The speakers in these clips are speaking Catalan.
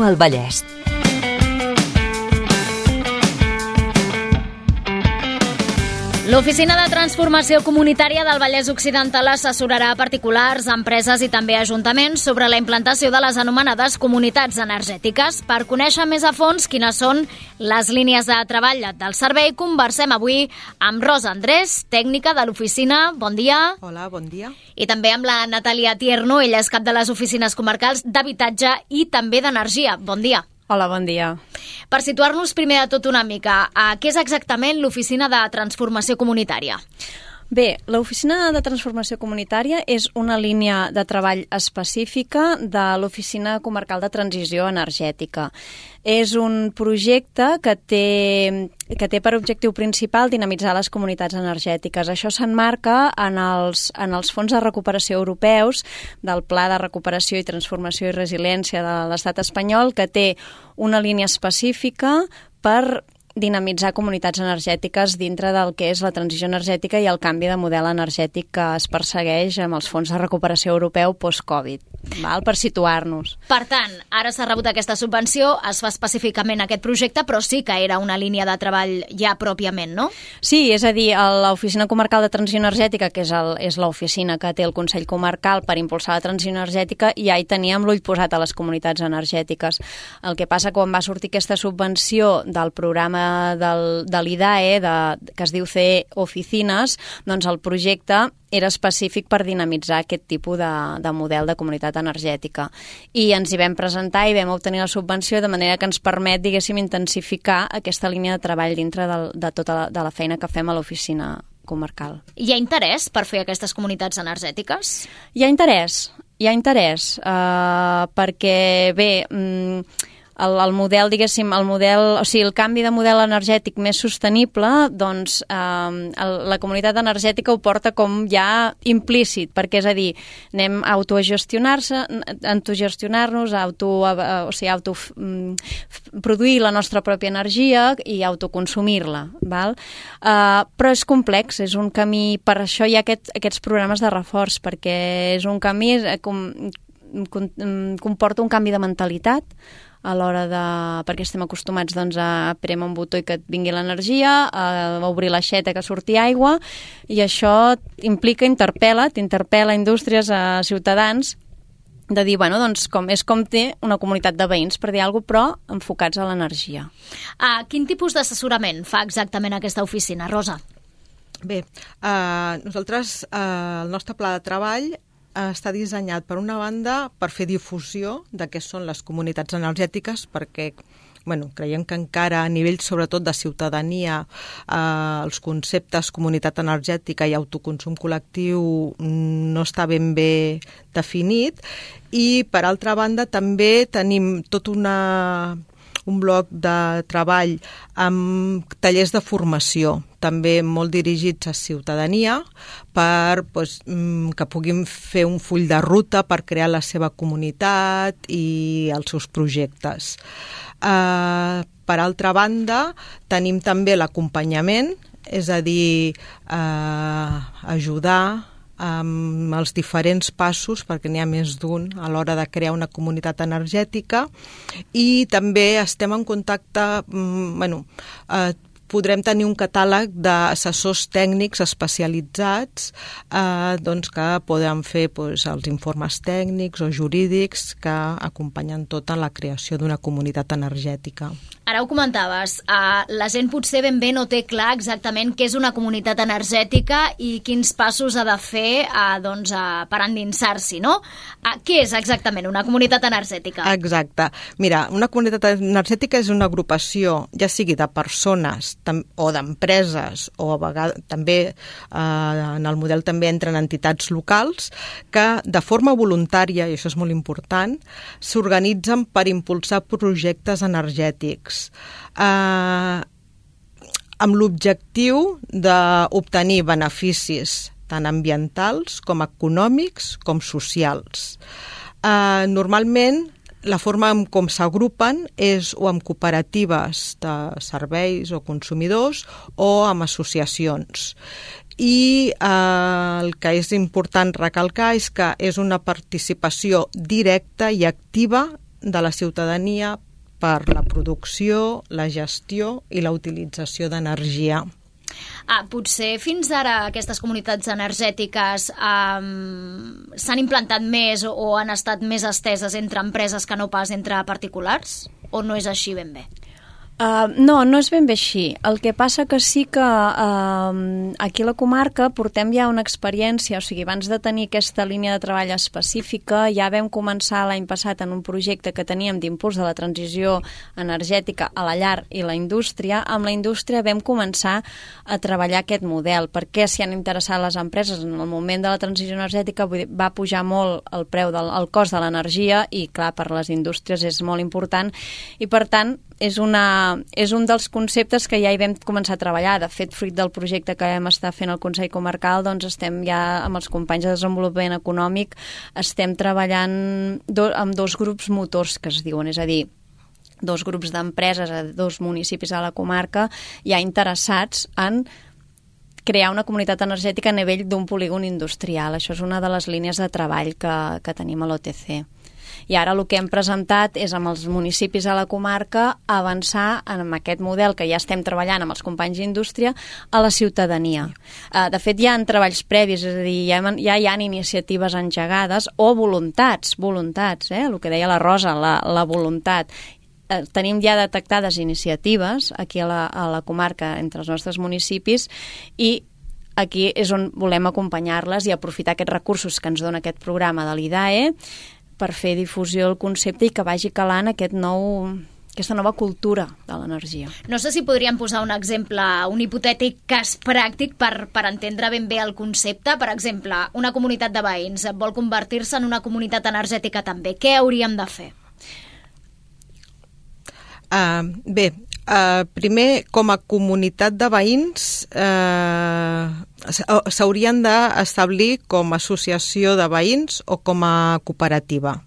Viu al Vallès. L'Oficina de Transformació Comunitària del Vallès Occidental assessorarà a particulars, empreses i també ajuntaments sobre la implantació de les anomenades comunitats energètiques. Per conèixer més a fons quines són les línies de treball del servei, conversem avui amb Rosa Andrés, tècnica de l'oficina. Bon dia. Hola, bon dia. I també amb la Natàlia Tierno, ella és cap de les oficines comarcals d'habitatge i també d'energia. Bon dia. Hola, bon dia. Per situar-nos primer de tot una mica, què és exactament l'Oficina de Transformació Comunitària? Bé, l'Oficina de Transformació Comunitària és una línia de treball específica de l'Oficina Comarcal de Transició Energètica. És un projecte que té per objectiu principal dinamitzar les comunitats energètiques. Això s'emmarca en els fons de recuperació europeus del Pla de Recuperació i Transformació i Resiliència de l'Estat espanyol, que té una línia específica per dinamitzar comunitats energètiques dintre del que és la transició energètica i el canvi de model energètic que es persegueix amb els fons de recuperació europeu post-Covid, per situar-nos. Per tant, ara s'ha rebut aquesta subvenció, es fa específicament aquest projecte, però sí que era una línia de treball ja pròpiament, no? Sí, és a dir, l'Oficina Comarcal de Transició Energètica, que és l'oficina que té el Consell Comarcal per impulsar la transició energètica, ja hi teníem l'ull posat a les comunitats energètiques. El que passa quan va sortir aquesta subvenció del programa de l'IDAE, que es diu CE Oficines, doncs el projecte era específic per dinamitzar aquest tipus de model de comunitat energètica. I ens hi vam presentar i vam obtenir la subvenció de manera que ens permet, diguéssim, intensificar aquesta línia de treball dintre de tota la feina que fem a l'oficina comarcal. Hi ha interès per fer aquestes comunitats energètiques? Hi ha interès, perquè, bé, el model, diguéssim, el canvi de model energètic més sostenible, doncs la comunitat energètica ho porta com ja implícit, perquè és a dir, anem a autogestionar-nos, produir la nostra pròpia energia i autoconsumir-la, val? Però és complex, és un camí, per això hi ha aquests programes de reforç, perquè és un camí comporta un canvi de mentalitat a l'hora perquè estem acostumats a prémer un botó i que et vingui l'energia, a obrir l'aixeta que surti aigua, i això t'interpel·la indústries, a ciutadans, de dir, doncs és com té una comunitat de veïns, per dir alguna cosa, però enfocats a l'energia. Quin tipus d'assessorament fa exactament aquesta oficina, Rosa? Bé, nosaltres, el nostre pla de treball està dissenyat, per una banda, per fer difusió de què són les comunitats energètiques, perquè creiem que encara a nivell, sobretot, de ciutadania, els conceptes comunitat energètica i autoconsum col·lectiu no està ben bé definit. I, per altra banda, també tenim tot un bloc de treball amb tallers de formació, també molt dirigits a ciutadania, per que puguin fer un full de ruta per crear la seva comunitat i els seus projectes. Per altra banda, tenim també l'acompanyament, és a dir, ajudar amb els diferents passos, perquè n'hi ha més d'un a l'hora de crear una comunitat energètica, i també estem en contacte, podrem tenir un catàleg d'assessors tècnics especialitzats que poden fer els informes tècnics o jurídics que acompanyen tota la creació d'una comunitat energètica. Ara ho comentaves, la gent potser ben bé no té clar exactament què és una comunitat energètica i quins passos ha de fer per endinsar-s'hi, no? Què és exactament una comunitat energètica? Exacte. Mira, una comunitat energètica és una agrupació, ja sigui de persones o d'empreses, o a vegades també en el model també entren entitats locals, que de forma voluntària, i això és molt important, s'organitzen per impulsar projectes energètics amb l'objectiu d'obtenir beneficis tant ambientals com econòmics com socials. Normalment, la forma com s'agrupen és o amb cooperatives de serveis o consumidors o amb associacions. I el que és important recalcar és que és una participació directa i activa de la ciutadania per la producció, la gestió i la utilització d'energia. Potser fins ara aquestes comunitats energètiques s'han implantat més o han estat més esteses entre empreses que no pas entre particulars? O no és així ben bé? No és ben bé així. El que passa que sí que aquí a la comarca portem ja una experiència, o sigui, abans de tenir aquesta línia de treball específica, ja vam començar l'any passat en un projecte que teníem d'impuls de la transició energètica a la llar i la indústria. Amb la indústria vam començar a treballar aquest model, perquè s'hi han interessat les empreses. En el moment de la transició energètica va pujar molt el preu el cost de l'energia i, clar, per les indústries és molt important i, per tant, és un dels conceptes que ja hi vam començar a treballar. De fet, fruit del projecte que vam estar fent al Consell Comarcal, doncs estem ja amb els companys de desenvolupament econòmic, estem treballant amb 2 grups motors que es diuen, és a dir, 2 grups d'empreses a 2 municipis a la comarca ja interessats en crear una comunitat energètica a nivell d'un polígon industrial. Això és una de les línies de treball que tenim a l'OTC. I ara el que hem presentat és amb els municipis a la comarca avançar en aquest model que ja estem treballant amb els companys d'indústria a la ciutadania. De fet, hi ha treballs previs, és a dir, ja hi ha iniciatives engegades o voluntats, el que deia la Rosa, la voluntat. Tenim ja detectades iniciatives aquí a la comarca entre els nostres municipis i aquí és on volem acompanyar-les i aprofitar aquests recursos que ens dona aquest programa de l'IDAE per fer difusió del concepte i que vagi calant aquesta nova cultura de l'energia. No sé si podríem posar un exemple, un hipotètic cas pràctic per entendre ben bé el concepte. Per exemple, una comunitat de veïns vol convertir-se en una comunitat energètica també. Què hauríem de fer? Primer, com a comunitat de veïns, s'haurien d'establir com a associació de veïns o com a cooperativa.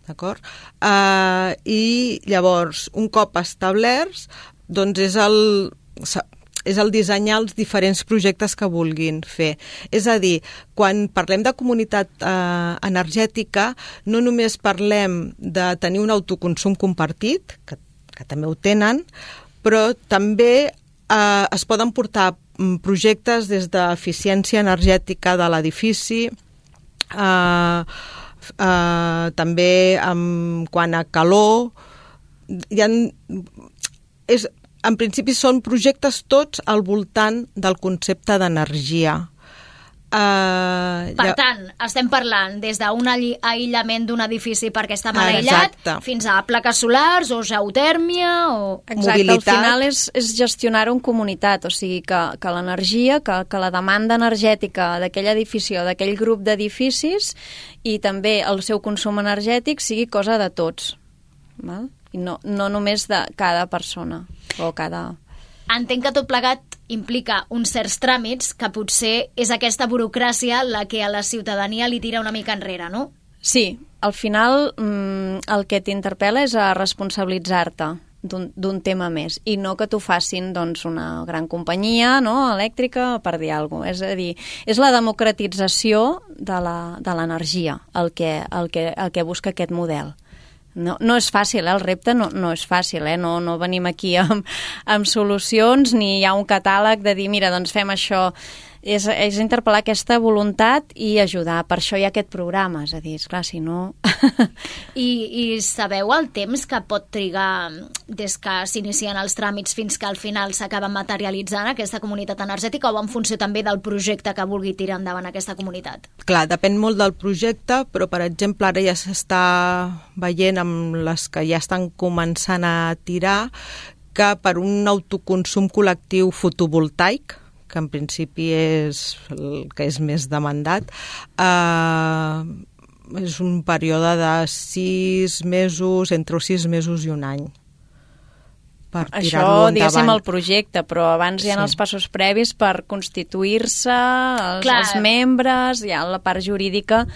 D'acord? I llavors, un cop establerts, doncs és el dissenyar els diferents projectes que vulguin fer. És a dir, quan parlem de comunitat energètica, no només parlem de tenir un autoconsum compartit, que també ho tenen, però també es poden portar projectes des d'eficiència energètica de l'edifici, també quant a calor. En principi són projectes tots al voltant del concepte d'energia. Per tant, estem parlant des d'un aïllament d'un edifici perquè està mal aïllat, fins a plaques solars o geotèrmia o mobilitat. Al final és gestionar-ho en comunitat, o sigui que l'energia, que la demanda energètica d'aquell edifici o d'aquell grup d'edificis i també el seu consum energètic sigui cosa de tots, val? I no només de cada persona o cada... Entenc que tot plegat implica uns certs tràmits que potser és aquesta burocràcia la que a la ciutadania li tira una mica enrere, no? Sí, al final el que t'interpel·la és a responsabilitzar-te d'un tema més i no que t'ho facin doncs, una gran companyia elèctrica per dir alguna cosa. És a dir, és la democratització de l'energia el que busca aquest model. No és fàcil, el repte no és fàcil, no venim aquí amb solucions ni hi ha un catàleg de dir, mira, doncs fem això. És interpel·lar aquesta voluntat i ajudar. Per això hi ha aquest programa, és a dir, esclar, si no... I sabeu el temps que pot trigar des que s'inicien els tràmits fins que al final s'acaba materialitzant aquesta comunitat energètica o en funció també del projecte que vulgui tirar endavant aquesta comunitat? Clar, depèn molt del projecte, però per exemple ara ja s'està veient amb les que ja estan començant a tirar que per un autoconsum col·lectiu fotovoltaic, que en principi és el que és més demandat, és un període de 6 mesos, entre 6 mesos i un any. Per tirar-lo endavant. Això, diguéssim, el projecte, però abans hi ha els passos previs per constituir-se, els membres, hi ha la part jurídica.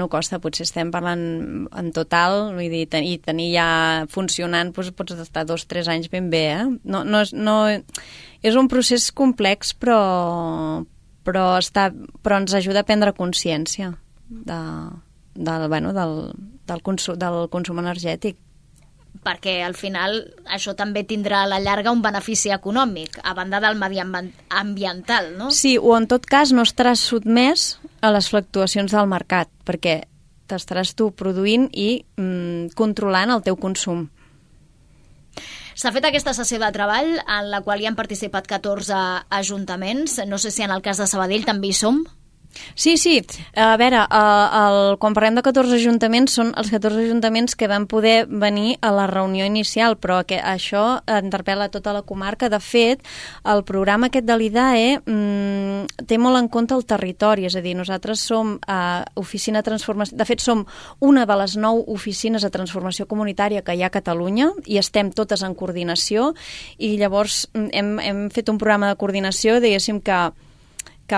Costa, potser estem parlant en total, vull dir, i tenir ja funcionant pots estar 2 o 3 anys ben bé, és un procés complex, però ens ajuda a prendre consciència del consum energètic. Perquè al final això també tindrà a la llarga un benefici econòmic, a banda del mediambiental, no? Sí, o en tot cas no estaràs sotmès a les fluctuacions del mercat, perquè t'estaràs tu produint i controlant el teu consum. S'ha fet aquesta sessió de treball en la qual hi han participat 14 ajuntaments. No sé si en el cas de Sabadell també hi som. Sí. A veure, quan parlem de 14 ajuntaments, són els 14 ajuntaments que van poder venir a la reunió inicial, però que això interpel·la tota la comarca. De fet, el programa aquest de l'IDAE té molt en compte el territori, és a dir, nosaltres som oficina de transformació, de fet som una de les 9 oficines de transformació comunitària que hi ha a Catalunya i estem totes en coordinació i llavors hem fet un programa de coordinació, diguéssim que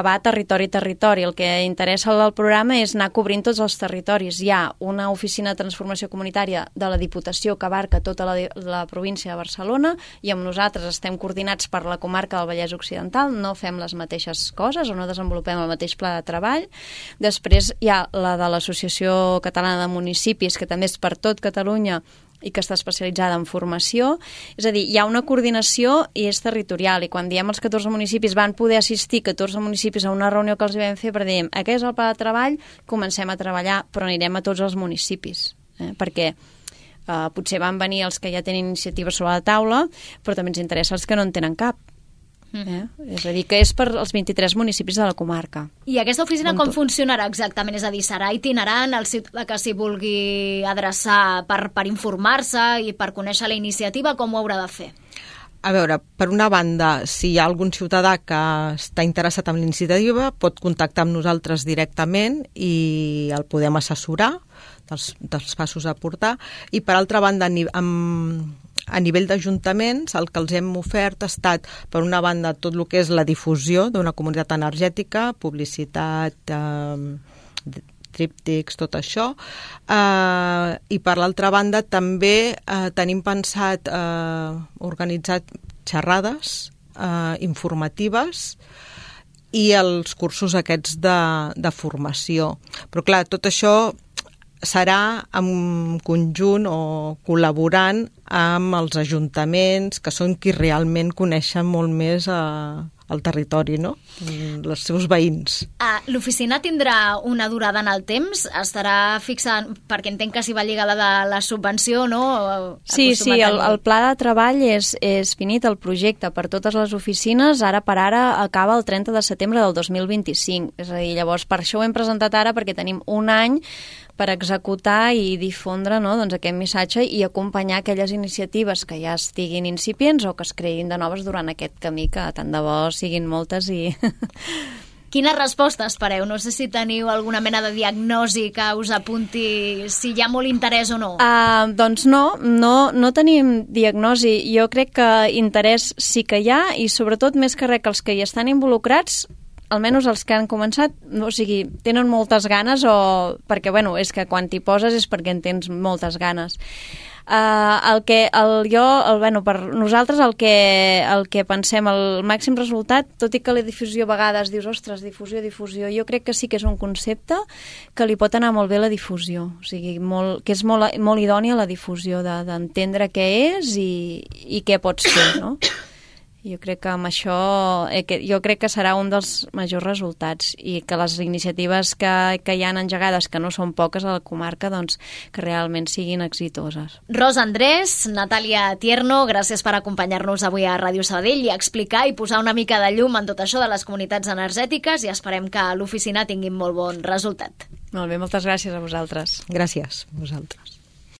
va territori a territori. El que interessa al programa és anar cobrint tots els territoris. Hi ha una oficina de transformació comunitària de la Diputació que abarca tota la província de Barcelona i amb nosaltres estem coordinats per la comarca del Vallès Occidental, no fem les mateixes coses o no desenvolupem el mateix pla de treball. Després hi ha la de l'Associació Catalana de Municipis, que també és per tot Catalunya i que està especialitzada en formació. És a dir, hi ha una coordinació i és territorial, i quan diem els 14 municipis van poder assistir 14 municipis a una reunió que els vam fer per dir, aquest és el pla de treball, comencem a treballar, però anirem a tots els municipis, perquè potser van venir els que ja tenen iniciativa sobre la taula, però també ens interessa els que no en tenen cap. És a dir, que és per als 23 municipis de la comarca. I aquesta oficina com funcionarà exactament? És a dir, serà itinerant, el ciutadà que s'hi vulgui adreçar per informar-se i per conèixer la iniciativa, com ho haurà de fer? A veure, per una banda, si hi ha algun ciutadà que està interessat en l'iniciativa, pot contactar amb nosaltres directament i el podem assessorar dels passos a portar. I per altra banda, a nivell d'ajuntaments, el que els hem ofert ha estat, per una banda, tot el que és la difusió d'una comunitat energètica, publicitat, tríptics, tot això. I per l'altra banda també tenim pensat organitzar xerrades informatives i els cursos aquests de formació. Però clar, tot això serà en conjunt o col·laborant amb els ajuntaments, que són qui realment coneixen molt més el territori, no? Els seus veïns. L'oficina tindrà una durada en el temps? Estarà fixant, perquè entenc que s'hi va lligada de la subvenció, no? Sí, el pla de treball és finit, el projecte per totes les oficines, ara per ara acaba el 30 de setembre del 2025. És a dir, llavors per això ho hem presentat ara, perquè tenim un any per executar i difondre, no, doncs, aquest missatge i acompanyar aquelles iniciatives que ja estiguin incipients o que es creïn de noves durant aquest camí, que tant de bo siguin moltes i... Quina resposta espereu? No sé si teniu alguna mena de diagnosi que us apunti si hi ha molt interès o no. Doncs no tenim diagnosi. Jo crec que interès sí que hi ha i sobretot més que res que els que hi estan involucrats, almenys els que han començat, o sigui, tenen moltes ganes perquè, bueno, és que quan t'hi poses és perquè en tens moltes ganes. Per nosaltres el que pensem, el màxim resultat, tot i que la difusió a vegades dius, ostres, difusió, jo crec que sí que és un concepte que li pot anar molt bé la difusió, o sigui, que és molt idònia la difusió, d'entendre què és i què pots fer, no? Jo crec que amb això serà un dels majors resultats i que les iniciatives que hi han engegades, que no són poques a la comarca, doncs que realment siguin exitoses. Rosa Andrés, Natàlia Tierno, gràcies per acompanyar-nos avui a Ràdio Sabadell i explicar i posar una mica de llum en tot això de les comunitats energètiques, i esperem que l'oficina tingui molt bon resultat. Molt bé, moltes gràcies a vosaltres. Gràcies a vosaltres.